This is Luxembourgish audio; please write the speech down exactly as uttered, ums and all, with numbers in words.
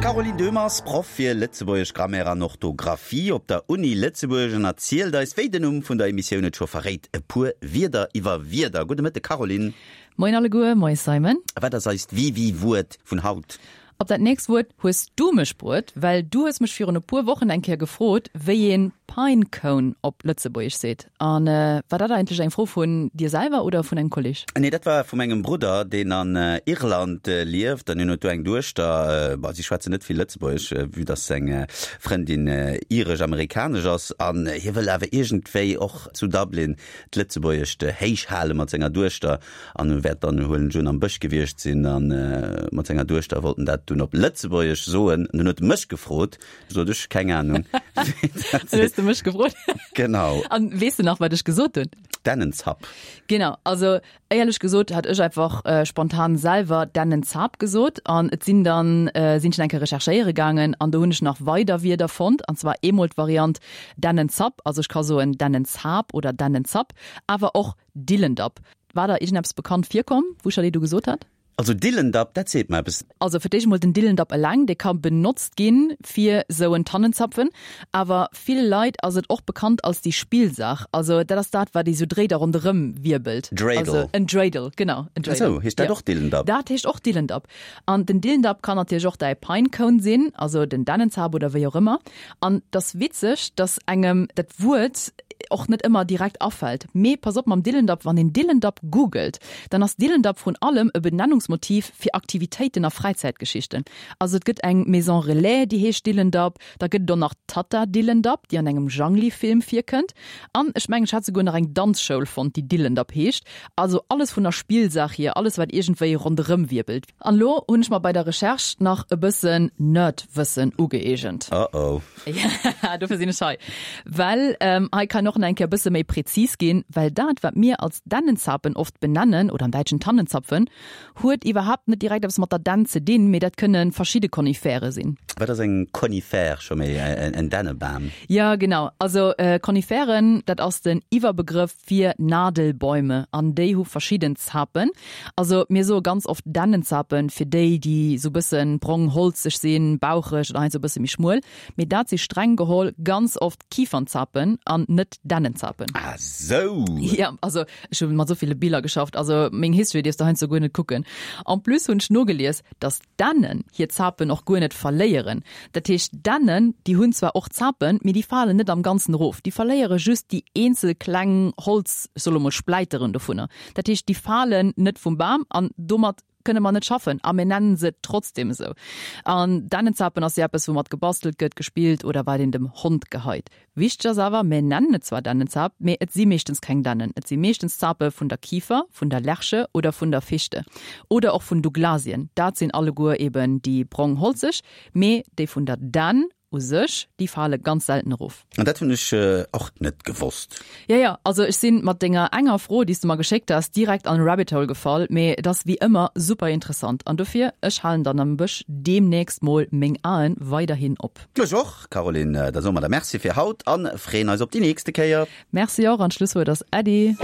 D'Caroline Döhmer ass Proff fir Lëtzebuergesch Grammaire an Orthografie op der Uni Lëtzebuerg an erzielt eis, wéi den Numm vun der Emissioun et scho verréit, e puer Wierder iwwer Wierder. Gudde Mëtte Caroline. Moien alleguer, moie Simon. Wat ass eist Wiwi-Wuert vun haut? Op dat nächst Wuert hues du mech bruet, well du hues mech virun e puer Wochen eng Kéier gefrot, wéi een Pinecone op Lëtzebuergesch seet. An war dat eigentlech eng Fro vun dir selwer oder vun engem Kolleg? Nee, dat war vu mengem Brudder, deen an Irland lieft an hien huet do eng Duechter. Bon, si schwätzen net vill Lëtzebuergesch, vue dass seng Frëndin iresch-amerikanesch ass an hie wëll awer iergendwéi och zu Dublin d'Lëtzebuergescht héich hale mat senger Duechter an e wäert dann, huelen ech un, am Bësch gewiescht sinn a mat senger Duechter wollt en dat dunn op Lëtzebuergesch soen. An dunn huet e mech gefrot, du sot ech, keng Ahnung. Dann hues de mech gefrot. Genau. An weess de nach, wat ech gesot hunn? Dännenzapp. Genau, also éierlech gesot hat ech einfach spontan selwer Dännenzap gesot an et sinn dann, sinn ech nach eng Kéier recherchéiere gaangen an do hunn ech nach weider Wierder fonnt an zwar eemol d'Variant Dännenzapp, also ech ka soen Dännenzap oder Dännenzapp, awer och Dillendapp. War der iergendeppes bekannt virkomm, wou ech der déi do gesot hat? Also Dillendapp, dat seet mer eppes. Also fir d'éischt emol den Dillendapp eleng, dee ka benotzt ginn fir sou en Tannenzapfen. Awer ville Leit ass et och bekannt als déi Spillsaach. Also dat ass dat, wat ee sou dréit a ronderëm wierbelt. Dreidel. Also en Dreidel, genau, en Dreidel. Esou, heescht dat och Dillendapp? Dat heescht och Dillendapp. An den Dillendapp kann natierlech och däi Pinecone sinn, also den Dännenzap oder wéi och ëmmer. An 't ass witzeg, dass engem dat Wuert och net ëmmer direkt afält. Mee pass op mam Dillendapp, wann een Dillendapp googelt, dann ass Dillendapp vrun allem e Benennungsmotiv fir Aktivitéiten a Fräizäitgeschichten. Also et gëtt eng Maison Relais, déi heescht Dillendapp, da gëtt et och nach d'Tatta Dillendapp, déi an engem Jangli-Film virkënnt. An ech mengen, ech hat souguer nach eng Danzschoul fonnt, déi Dillendapp heescht. Also alles vun der Spillsaach hier, alles wat iergendwéi ronderëm wierbelt. An elo hunn ech mer bei der Recherche nach e bëssen Nerd-Wëssen ugeeegent. Oh oh. Ja, dofir sinn ech hei. Well hei kann och nach eng Kéier e bësse méi präzis ginn, well dat, wat mir als Dännenzapen oft benennen, oder am Däitschen Tannenzapfen, huet iwwerhaapt net direkt eppes mat der Dänn ze dinn, mee dat kënne verschidde Konifere sinn. Wat ass eng Konifère scho méi? En Dännebam? Jo, genau. Also Koniferen, dat ass den Iwwerbegrëff fir Nadelbäume an déi hu verschidden Zapen. Also mir soe ganz oft Dännenzapen fir déi, déi sou bëssen brong holzeg sinn, baucheg oder heiansdo e bësse méi schmuel. Mee dat si streng geholl ganz oft Kiefernzapen an net Dännenzapen. Ah sou! Jo, also ech hu mat sou ville Biller geschafft, also meng History dierfs de heiansdo guer net kucken. En plus hunn ech nogelies, dass Dännen hir Zapen och guer net verléieren. Dat heescht, Dännen, déi hunn zwar och Zapen, mee déi falen net am Ganzen erof. Déi verléiere just déi eenzel kleng Holz, ech soe lo mol Spläiteren dovunner. Dat heescht, déi falen net vum Bam an domat kënne mer net schaffen a mir nennen se trotzdem esou. An Dännenzapen ass jo eppes, woumat gebastelt gëtt, gespillt oder wat een dem Hond geheit. Wichteg ass awer, mir nennen et zwar Dännenzap, mee et si meeschtens keng Dännen. Et si meeschtens Zape vun der Kifer, vun der Lärche oder vun der Fichte. Oder och vun Douglasien. Dat sinn alleguer eben déi brong holzeg, mee déi vun der Dänn u sech, déi fale ganz selten erof. An dat hunn ech och net gewosst. Jo, jo, also ech sinn mat denger enger Fro, déi s de mer geschéckt has, direkt an e Rabbit Hole gefall, mee et ass wéi ëmmer super interessant an dofir, ech halen dann am Bësch deemnächst mol meng Aen weiderhin op. Ech och, Caroline. Da soe mer der Merci fir haut an freeën eis op déi nächste Kéier. Merci och an d'Schlusswuert ass Äddi.